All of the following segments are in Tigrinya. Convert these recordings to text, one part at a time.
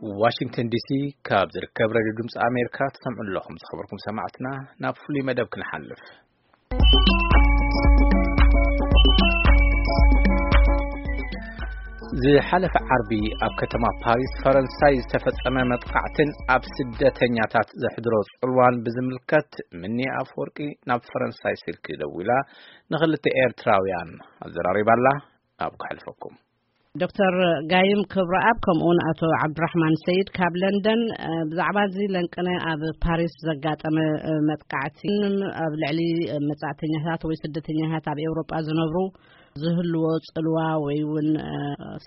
ዋሽንግተን ዲሲ ካብ ዝርከብ ሬድዮ ድምፂ ኣሜሪካ ትሰምዑ ኣለኹም። ዝኸበርኩም ሰማዕትና፣ ናብ ፍሉይ መደብ ክንሓልፍ። ዝሓለፈ ዓርቢ ኣብ ከተማ ፓሪስ ፈረንሳይ ዝተፈጸመ መጥቃዕትን ኣብ ስደተኛታት ዘሕድሮ ጽልዋን ብዝምልከት፣ ምኒ ኣፈወርቂ ናብ ፈረንሳይ ስልኪ ደዊላ ንኽልተ ኤርትራውያን ኣዘራሪባላ። ናብ ከሕልፈኩም። ዶክተር ጋይም ክብረኣብ፣ ከምኡውን ኣቶ ዓብዱራሕማን ሰይድ ካብ ለንደን፣ እ፣ ብዛዕባ እዚ ለንቅነ ኣብ ፓሪስ ዘጋጠመ፣ እ፣ መጥቃዕቲ፣ ኣብ ልዕሊ፣ እ፣ መጻእተኛታት ወይ ስደተኛታት ኣብ ኤውሮጳ ዝነብሩ ዝህልዎ ጽልዋ ወይ እውን፣ እ፣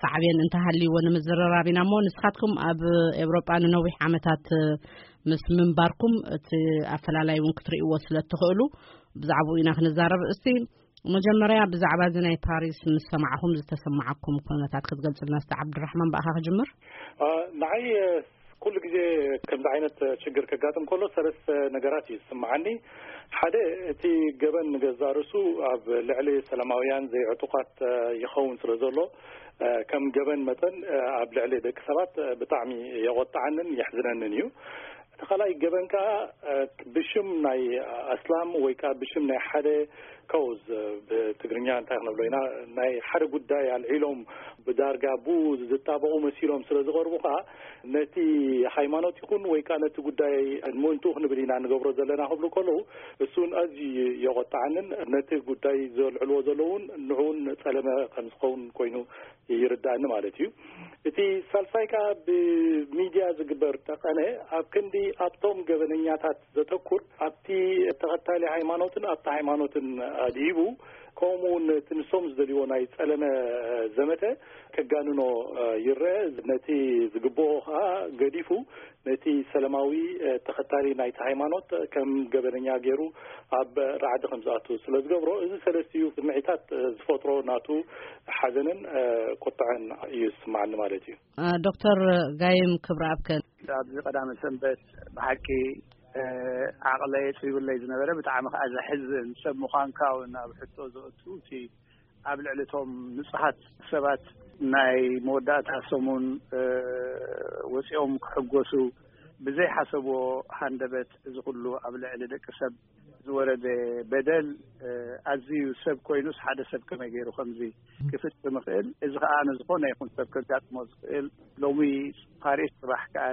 ሳዕቤን እንተሃልይዎ ንምዝርራብ ኢና እሞ፣ ንስኻትኩም ኣብ ኤውሮጳ ንነዊሕ ዓመታት፣ እ፣ ምስ ምንባርኩም እቲ ኣፈላላይ እውን ክትርእይዎ ስለ እትኽእሉ ብዛዕባኡ ኢና ክንዛረብ። እስቲ መጀመርያ ብዛዕባ እዚ ናይ ፓሪስ ምስ ሰማዕኹም ዝተሰማዓኩም ኩነታት ክትገልጽልና እስቲ ዓብዱራሕማን፣ ብኣኻ ክጅምር። አ፣ ንዓይ፣ እ፣ ኩሉ ግዜ ከምዚ ዓይነት ችግር ከጋጥም ከሎ ሰለስተ ነገራት እዩ ዝስምዓኒ። ሓደ፣ እቲ ገበን ንገዛእ ርእሱ ኣብ ልዕሊ ሰላማውያን ዘይዕጡቓት፣ እ፣ ይኸውን ስለ ዘሎ፣ እ፣ ከም ገበን መጠን፣ እ፣ ኣብ ልዕሊ ደቂ ሰባት፣ እ፣ ብጣዕሚ የቖጥዓንን የሕዝነንን እዩ። እቲ ካልኣይ ገበን ከኣ፣ እ፣ ብሽም ናይ ኣስላም ወይ ከኣ ብሽም ናይ ሓደ ከውዝ፣ ብትግርኛ እንታይ ክንብሎ ኢና፣ ናይ ሓደ ጉዳይ ኣልዒሎም ብዳርጋ ብኡ ዝጣበቑ መሲሎም ስለ ዝቐርቡ ከኣ፣ ነቲ ሃይማኖት ይኹን ወይ ከኣ ነቲ ጉዳይ ምእንትኡ ክንብል ኢና ንገብሮ ዘለና ክብሉ ከለዉ፣ እሱን ኣዝዩ የቖጥዓንን ነቲ ጉዳይ ዘልዕልዎ ዘለዉ እውን ንዕኡን ጸለመ ከም ዝኸውን ኮይኑ ይርዳእኒ ማለት እዩ። እቲ ሳልሳይ ከኣ ብሚድያ ዝግበር ጠቐነ ኣብ ክንዲ ኣብቶም ገበነኛታት ዘተኩር፣ ኣብቲ ተኸታሊ ሃይማኖትን ኣብቲ ሃይማኖትን ኣድሂቡ፣ ከምኡ እውን እቲ ንሶም ዝደልይዎ ናይ ጸለመ ዘመተ ከጋንኖ ይረአ። ነቲ ዝግብኦ ከኣ ገዲፉ፣ ነቲ ሰለማዊ ተኸታሊ ናይቲ ሃይማኖት ከም ገበነኛ ገይሩ ኣብ ራዕዲ ከም ዝኣቱ ስለ ዝገብሮ፣ እዚ ሰለስቲኡ ስምዒታት ዝፈጥሮ ናቱ ሓዘንን ቁጥዐን እዩ ዝስምዓኒ ማለት እዩ። እ፣ ዶክተር ጋይም ክብረኣብ ከ? ኣብዚ ቀዳመ ሰንበት ብሓቂ፣ እ፣ ዓቕለይ ጸቢብለይ ዝነበረ፣ ብጣዕሚ ከኣ ዘሕዝን፣ ሰብ ምዃንካ እውን ኣብ ሕቶ ዘእቱ፣ እቲ ኣብ ልዕሊ እቶም ንጹሃት ሰባት ናይ መወዳእታ ሰሙን፣ እ፣ ወጺኦም ክሕጎሱ ብዘይሓሰብዎ ሃንደበት እዚ ኩሉ ኣብ ልዕሊ ደቂ ሰብ ዝወረደ በደል፣ እ፣ ኣዝዩ ሰብ ኮይኑስ ሓደ ሰብ ከመይ ገይሩ ከምዚ ክፍጽም ይኽእል? እዚ ከኣ ንዝኾነ ይኹን ሰብ ከጋጥሞ ዝኽእል፣ ሎሚ ፓሪስ፣ ጽባሕ ከኣ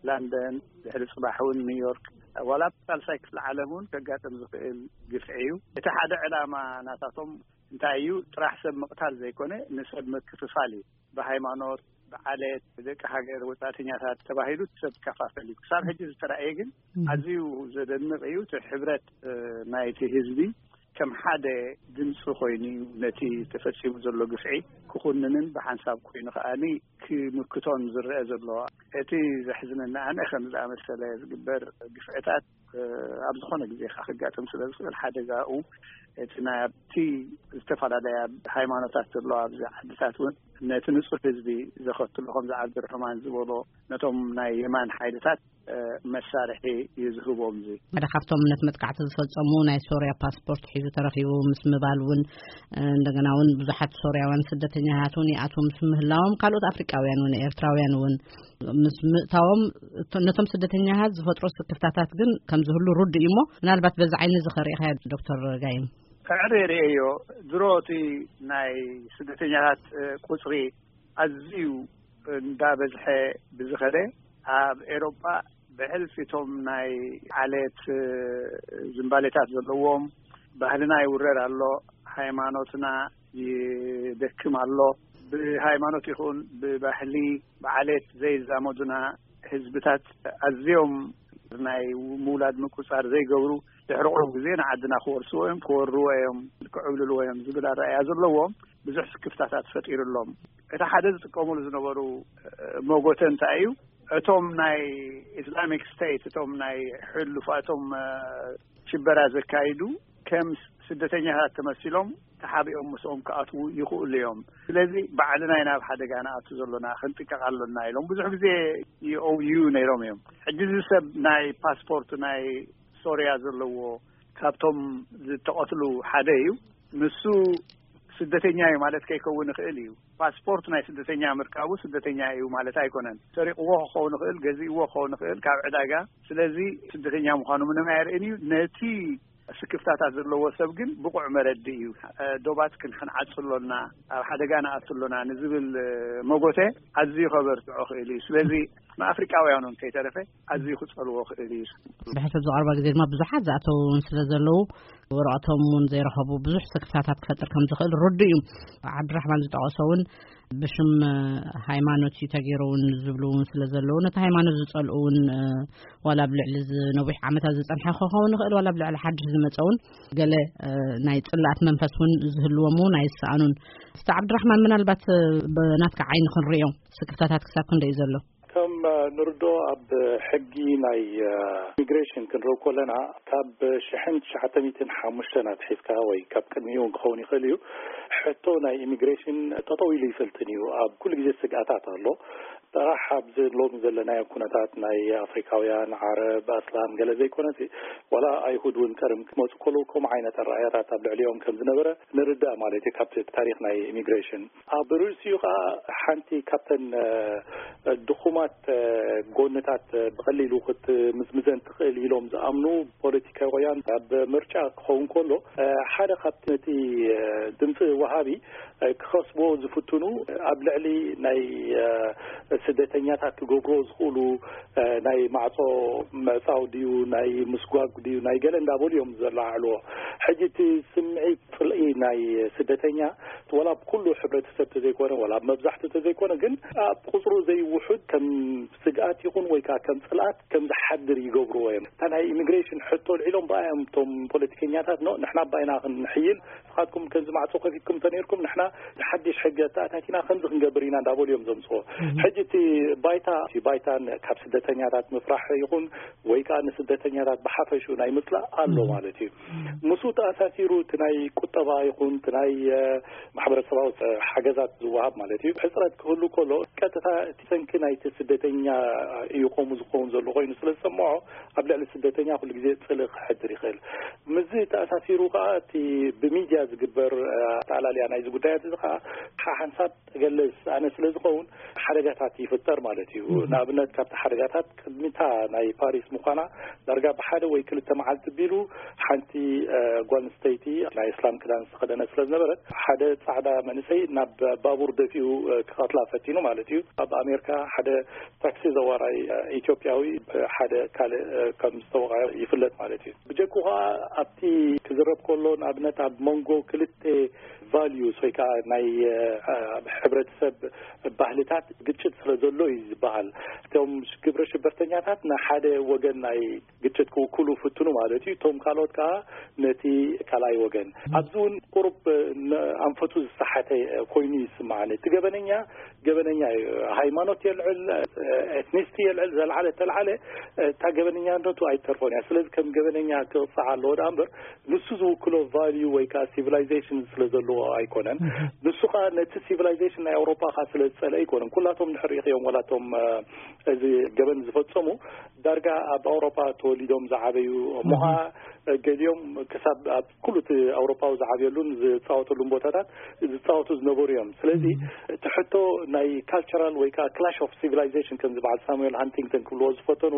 ላንደን፣ ድሕሪ ጽባሕ እውን ኒውዮርክ፣ ዋላ ኣብ ሳልሳይ ክፍሊ ዓለም እውን ከጋጥም ዝኽእል ግፍዒ እዩ። እቲ ሓደ ዕላማ ናታቶም እንታይ እዩ? ጥራሕ ሰብ ምቕታል ዘይኮነ፣ ንሰብ ምክፍፋል እዩ። ብሃይማኖት፣ ብዓሌት፣ ብደቂ ሃገር ወጻእተኛታት ተባሂሉ ሰብ ይከፋፈል እዩ። ክሳብ ሕጂ ዝተራእየ ግን፣ እም። ኣዝዩ ዘደንቕ እዩ። እቲ ሕብረት፣ እ፣ ናይቲ ህዝቢ ከም ሓደ ድምፂ ኮይኑ እዩ ነቲ ተፈጺሙ ዘሎ ግፍዒ ክኹንንን ብሓንሳብ ኮይኑ ከኣኒ ክምክቶን ዝረአ ዘሎ። እቲ ዘሕዝነኒ ኣነ፣ ከም ዝኣመሰለ ዝግበር ግፍዕታት፣ እ፣ ኣብ ዝኾነ ግዜ ከኣ ክጋጥም ስለ ዝኽእል፣ ሓደጋኡ እቲ ናይ ኣብቲ ዝተፈላለያ ሃይማኖታት ዘለዋ ኣብዚ ዓድታት እውን ነቲ ንጹህ ህዝቢ ዘኸትሎ፣ ከምዚ ዓብዱርሕማን ዝበሎ፣ ነቶም ናይ የማን ሓይልታት፣ እ፣ መሳርሒ እዩ ዝህቦም። እዚ ሓደ ካብቶም ነቲ መጥቃዕቲ ዝፈጸሙ ናይ ሶርያ ፓስፖርት ሒዙ ተረኺቡ ምስ ምባል እውን፣ እ፣ እንደገና እውን ብዙሓት ሶርያውያን ስደተኛታት እውን ይኣትዉ ምስ ምህላዎም፣ ካልኦት ኣፍሪቃውያን እውን ኤርትራውያን እውን ምስ ምእታዎም፣ እቶ-፣ ነቶም ስደተኛታት ዝፈጥሮ ስክፍታታት ግን ከም ዝህሉ ርዱእ እዩ እሞ፣ ምናልባት በዚ ዓይኒ እዚ ከርእኻ ዶክተር ጋይም። ከዕሪ ርእዮ፣ ድሮ እቲ ናይ ስደተኛታት፣ እ፣ ቁጽሪ ኣዝዩ እንዳበዝሐ ብዝኸደ፣ ኣብ ኤሮጳ ብሕልፊ እቶም ናይ ዓሌት፣ እ፣ ዝንባሌታት ዘለዎም፣ ባህልና ይውረር ኣሎ፣ ሃይማኖትና ይደክም ኣሎ፣ ብሃይማኖት ይኹን ብባህሊ፣ ብዓሌት ዘይዛመዱና ህዝብታት ኣዝዮም ናይ ምውላድ ምቁጻር ዘይገብሩ፣ ድሕሪ ቁሩብ ግዜ ንዓድና ክወርስዎ እዮም፣ ክወርዎ እዮም፣ ክዕብልልዎ እዮም ዝብል ኣረኣእያ ዘለዎም ብዙሕ ስክፍታታት ፈጢሩሎም። እቲ ሓደ ዝጥቀሙሉ ዝነበሩ፣ እ፣ መጎተ እንታይ እዩ? እቶም ናይ ኢስላሚክ ስቴት፣ እቶም ናይ ሕሉፋቶም፣ እ፣ ሽበራ ዘካይዱ ከም ስደተኛታት ተመሲሎም ተሓቢኦም ምስኦም ክኣትዉ ይኽእሉ እዮም። ስለዚ ባዕልና ኢና ኣብ ሓደጋ ንኣቱ ዘሎና፣ ክንጥቀቕ ኣሎና ኢሎም ብዙሕ ግዜ ይኦውዩ ነይሮም እዮም። ሕጂ እዚ ሰብ ናይ ፓስፖርት ናይ ሶርያ ዘለዎ ካብቶም ዝተቐትሉ ሓደ እዩ። ንሱ ስደተኛ እዩ ማለት ከይከውን ይኽእል እዩ። ፓስፖርት ናይ ስደተኛ ምርካቡ ስደተኛ እዩ ማለት ኣይኮነን። ሰሪቕዎ ክኸውን ይኽእል፣ ገዚእዎ ክኸውን ይኽእል ካብ ዕዳጋ። ስለዚ ስደተኛ ምዃኑ ምንም ኣየርእን እዩ። ነቲ ስክፍታታት ዘለዎ ሰብ ግን ብቑዕ መረዲ እዩ። እ፣ ዶባት ክን-፣ ክንዓጽ ኣሎና፣ ኣብ ሓደጋ ንኣቱ ኣሎና ንዝብል፣ እ፣ መጎተ ኣዝዩ ከበርትዖ ክእል እዩ። ስለዚ ንኣፍሪቃውያን እውን ከይተረፈ ኣዝዩ ክጸልዎ ክእል እዩ። ብሕሰብ ዝቐርባ ግዜ ድማ ብዙሓት ዝኣተዉ እውን ስለ ዘለዉ፣ ወረቐቶም እውን ዘይረኸቡ ብዙሕ ስክፍታታት ክፈጥር ከም ዝኽእል ርዱእ እዩ። ዓብድራሕማን ዝጠቐሶ እውን ብሽም፣ እ፣ ሃይማኖት እዩ ተገይሩ እውን ዝብሉ እውን ስለ ዘለዉ፣ ነቲ ሃይማኖት ዝጸልኡ እውን፣ እ፣ ዋላ ኣብ ልዕሊ ዝ-፣ ነዊሕ ዓመታት ዝጸንሐ ክኸውን ይኽእል፣ ዋላ ኣብ ልዕሊ ሓድሽ ዝመጸ እውን ገለ፣ እ፣ ናይ ጽላኣት መንፈስ እውን ዝህልዎም እውን ኣይሰኣኑን። እስቲ ዓብድራሕማን፣ ምናልባት፣ እ፣ ብናትካ ዓይኒ ክንርእዮ ስክፍታታት ክሳብ ክንደይ እዩ ዘሎ? ከም፣ እ፣ ንርድኦ ኣብ ሕጊ ናይ፣ እ፣ ኢሚግሬሽን ክንርኢ ከለና ካብ ሽሕን ትሽዓተ ሚእትን ሓሙሽተን ኣትሒዝካ ወይ ካብ ቅድሚኡ እውን ክኸውን ይኽእል እዩ፣ ሕቶ ናይ ኢሚግሬሽን ጠጠው ኢሉ ይፈልጥን እዩ። ኣብ ኩሉ ግዜ ስግኣታት ኣሎ። ጥራሕ ኣብዚ ሎሚ ዘለናዮ ኩነታት ናይ ኣፍሪካውያን፣ ዓረብ፣ ኣስላም ገለ ዘይኮነሲ፣ ዋላ ኣይሁድ እውን ቀደም ክመፁ ከለዉ ከምኡ ዓይነት ኣረኣእያታት ኣብ ልዕሊኦም ከም ዝነበረ ንርዳእ ማለት እዩ ካብቲ ታሪክ ናይ ኢሚግሬሽን። ኣብ ርእሲኡ ከዓ ሓንቲ ካብተን፣ እ፣ ድኹማት፣ እ፣ ጎንታት፣ እ፣ ብቐሊሉ ክትምዝምዘን ትኽእል ኢሎም ዝኣምኑ ፖለቲካውያን ኣብ ምርጫ ክኸውን ከሎ፣ እ፣ ሓደ ካብቲ ነቲ፣ እ፣ ድምፂ ወሃቢ፣ እ፣ ክኸስብዎ ዝፍትኑ ኣብ ልዕሊ ናይ፣ እ፣ ስደተኛታት ክገብርዎ ዝኽእሉ፣ እ፣ ናይ ማዕጾ ምዕጻው ድዩ፣ ናይ ምስጓግ ድዩ፣ ናይ ገለ እንዳበሉ እዮም ዘለዓዕልዎ። ሕጂ እቲ ስምዒት ጽልኢ ናይ ስደተኛ ዋላ ኣብ ኩሉ ሕብረተሰብ ተዘይኮነ፣ ዋላ ኣብ መብዛሕትኡ ተዘይኮነ፣ ግን ኣብ ቁጽሩ ዘይውሑድ ከም ስግኣት ይኹን ወይ ከዓ ከም ጽልኣት ከም ዝሓድር ይገብርዎ እዮም። እታ ናይ ኢሚግሬሽን ሕቶ ኣልዒሎም ብኣዮም እቶም ፖለቲከኛታት፣ ኖ፣ ንሕና ባይና ክንሕይል፣ ንስኻትኩም ከምዚ ማዕጾ ከፊትኩም እንተነይርኩም ንሕና ሓድሽ ሕጊ ኣተኣታቲና ከምዚ ክንገብር ኢና እንዳበሉ እዮም ዘምጽዎ። ሕጂ እቲ ባይታ፣ እቲ ባይታ ን-፣ ካብ ስደተኛታት ምፍራሕ ይኹን ወይ ከዓ ንስደተኛታት ብሓፈሽኡ ናይ ምጽላእ ኣሎ ማለት እዩ። ምስኡ ተኣሳሲሩ እቲ ናይ ቁጠባ ይኹን እቲ ናይ፣ እ፣ ማሕበረሰባዊ፣ እ፣ ሓገዛት ዝወሃብ ማለት እዩ። ሕጽረት ክህሉ ከሎ ቀጥታ እቲ ሰንኪ ናይቲ ስደተኛ እዩ ከምኡ ዝኸውን ዘሎ ኮይኑ ስለ ዝሰምዖ ኣብ ልዕሊ ስደተኛ ኩሉ ግዜ ጽልኢ ክሕድር ይኽእል። ምስዚ ተኣሳሲሩ ከዓ እቲ ብሚድያ ዝግበር፣ እ፣ ኣጠቓላልያ ናይዚ ጉዳያት እዚ ከዓ ሓሓንሳብ ተገለስ ኣነ ስለ ዝኸውን ሓደጋታት ይፍጠር ማለት እዩ። ንኣብነት ካብቲ ሓደጋታት ቅድሚታ ናይ ፓሪስ ምዃና ዳርጋ ብሓደ ወይ ክልተ መዓልቲ ቢሉ ሓንቲ፣ እ፣ ጓል ኣንስተይቲ ናይ እስላም ክዳን ዝተኸደነ ስለ ዝነበረት ሓደ ጻዕዳ መንእሰይ ናብ ባቡር ደፊኡ፣ እ፣ ክቐትላ ፈቲኑ ማለት እዩ። ኣብ ኣሜሪካ ሓደ ታክሲ ዘዋራይ፣ እ፣ ኢትዮጵያዊ፣ እ፣ ሓደ ካልእ፣ እ፣ ከም ዝተወቕዐ ይፍለጥ ማለት እዩ። ብጀኩ ከዓ ኣብቲ ክዝረብ ከሎ ንኣብነት ኣብ መንጎ ክልተ ቫልዩስ ወይ ከዓ ናይ፣ እ፣ ኣብ ሕብረተሰብ ባህልታት ግጭት ስለ ዘሎ እዩ ዝበሃል። እቶም ግብረ ሽበርተኛታት ንሓደ ወገን ናይ ግጭት ክውክሉ ፍትኑ ማለት እዩ። እቶም ካልኦት ከዓ ነቲ ካልኣይ ወገን። ኣብዚ እውን ቁሩብ፣ እ፣ ን-፣ ኣንፈቱ ዝሰሓተ ኮይኑ ይስምዓኒ። እቲ ገበነኛ ገበነኛ እዩ። ሃይማኖት የልዕል፣ ኤትኒስቲ የልዕል፣ ዘልዓለ ተልዓለ፣ እታ ገበነኛነቱ ኣይተርፎን እያ። ስለዚ ከም ገበነኛ ክቕጻዕ ኣለዎ ደኣ እምበር ንሱ ዝውክሎ ቫልዩ ወይ ከዓ ሲቪላይዜሽን ስለ ዘለዎ ኣይኮነን። ንሱ ከዓ ነቲ ሲቪላይዜሽን ናይ ኣውሮጳ ከዓ ስለ ዝጸልአ ኣይኮነን። ኩላቶም ድሕር ሪእኽዮም ዋላቶም፣ እ፣ እዚ ገበን ዝፈጸሙ ዳርጋ ኣብ ኣውሮጳ ተወሊዶም ዝዓበዩ እሞ ከዓ ገሊኦም ክሳብ ኣብ ኩሉ እቲ ኣውሮፓዊ ዝዓብየሉን ዝፃወተሉን ቦታታት ዝፃወቱ ዝነበሩ እዮም። ስለዚ እቲ ሕቶ ናይ ካልቸራል ወይ ከዓ ክላሽ ኦፍ ሲቪላይዜሽን ከም ዝበዓል ሳሙኤል ሃንቲንግተን ክብልዎ ዝፈተኑ፣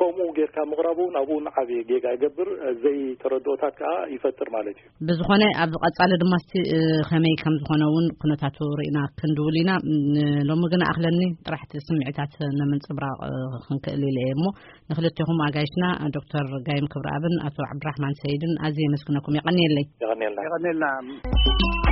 ከምኡ ጌርካ ምቕራቡ እውን ኣብኡ እውን ዓብዪ ጌጋ ይገብር፣ ዘይተረድኦታት ከዓ ይፈጥር ማለት እዩ። ብዝኾነ ኣብ ቀጻሊ ድማ እስቲ፣ እ፣ ከመይ ከም ዝኾነ እውን ኩነታቱ ርኢና ክንድውል ኢና። ን-፣ ሎሚ ግን ኣኽለኒ ጥራሕቲ ስምዒታት ንምንጽብራቕ፣ እ፣ ክንክእል ኢለ እየ እሞ ንክልቴኹም ኣጋይሽና ዶክተር ጋይም ክብረኣብን ኣቶ ዓብድራሕማን ሰይድን ኣዝየ የመስግነኩም። የቐንየለይ። የቐንየልና። የቐንየልና።